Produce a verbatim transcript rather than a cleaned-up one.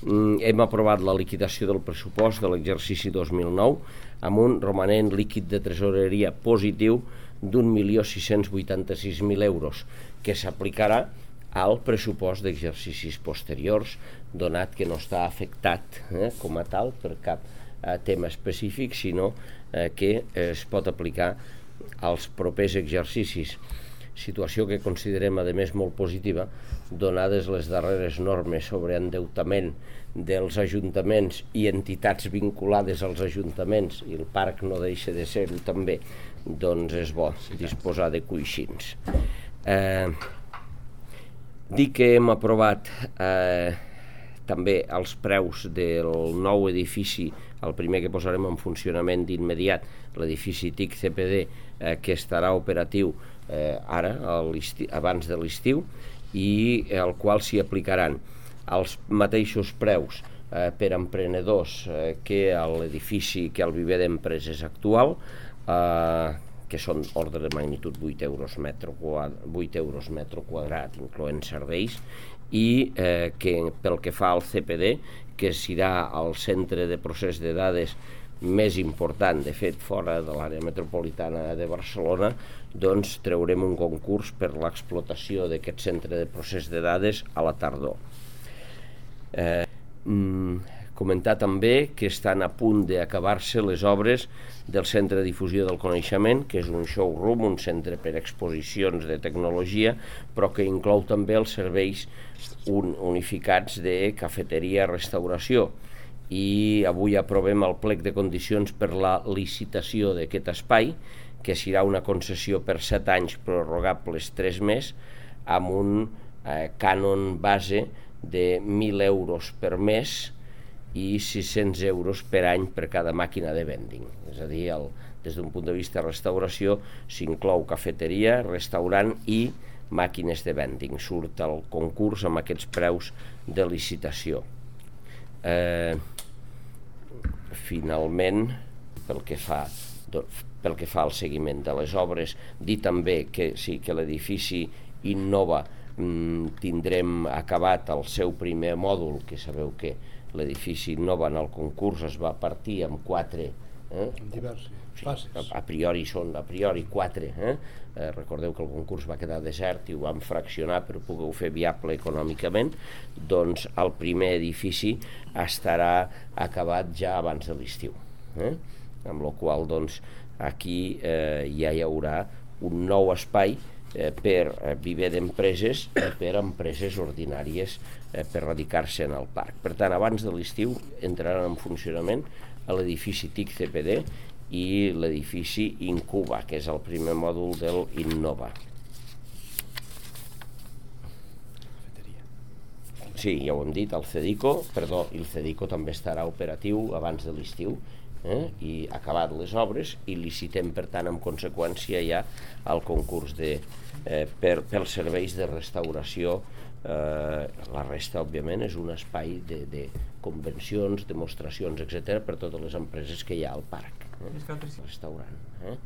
hem aprovat la liquidació del pressupost de l'exercici dos mil nou amb un romanent líquid de tresoreria positiu d'un milió sis-cents vuitanta-sis mil euros, que s'aplicarà al pressupost d'exercicis posteriors, donat que no està afectat eh, com a tal per cap eh, tema específic, sinó eh, que es pot aplicar als propers exercicis. Situació que considerem, a més, molt positiva, donades les darreres normes sobre endeutament dels ajuntaments i entitats vinculades als ajuntaments, i el parc no deixa de ser-ho també, doncs és bo disposar de coixins. Eh, dir que hem aprovat eh, també els preus del nou edifici, el primer que posarem en funcionament d'immediat, l'edifici T I C C P D, eh, que estarà operatiu eh, ara, abans de l'estiu, i al qual s'hi aplicaran els mateixos preus eh, per emprenedors eh, que a l'edifici, que al viver d'empreses actual, eh, que són ordre de magnitud vuit euros metre quadrat, vuit euros metre quadrat, incloent serveis, i eh, que pel que fa al C P D, que serà el centre de procés de dades més important, de fet, fora de l'àrea metropolitana de Barcelona, doncs traurem un concurs per l'explotació d'aquest centre de procés de dades a la tardor. Eh, mm, comentar també que estan a punt d'acabar-se les obres del Centre de Difusió del Coneixement, que és un showroom, un centre per exposicions de tecnologia, però que inclou també els serveis un, unificats de cafeteria, restauració. I avui aprovem el plec de condicions per la licitació d'aquest espai, que serà una concessió per set anys prorrogables tres més, amb un eh, cànon base de mil euros per mes i sis-cents euros per any per cada màquina de vending. És a dir, el, des d'un punt de vista de restauració s'inclou cafeteria, restaurant i màquines de vending. Surt el concurs amb aquests preus de licitació. Eh, finalment, pel que fa pel que fa al seguiment de les obres, dir també que sí, que l'edifici Innova mm, tindrem acabat el seu primer mòdul, que sabeu que l'edifici Innova en el concurs es va partir amb quatre eh? diverses sí, fases. A, a priori són a priori quatre. Eh? Eh, recordeu que el concurs va quedar desert i ho vam fraccionar per poder fer viable econòmicament. Doncs el primer edifici estarà acabat ja abans de l'estiu. Eh? Amb la qual doncs, aquí eh, ja hi haurà un nou espai eh, per eh, viver d'empreses i per empreses ordinàries eh, per radicar-se en el parc. Per tant, abans de l'estiu entraran en funcionament a l'edifici T I C C P D i l'edifici Incuba, que és el primer mòdul del Innova. Sí, ja ho hem dit, el Cedico, perdó, el Cedico també estarà operatiu abans de l'estiu, eh? I acabat les obres, i licitem, per tant, en conseqüència ja el concurs de, eh, per, pels serveis de restauració. Eh, la resta, òbviament, és un espai de, de convencions, demostracions, etcètera, per totes les empreses que hi ha al parc. Eh? Restaurant. Eh?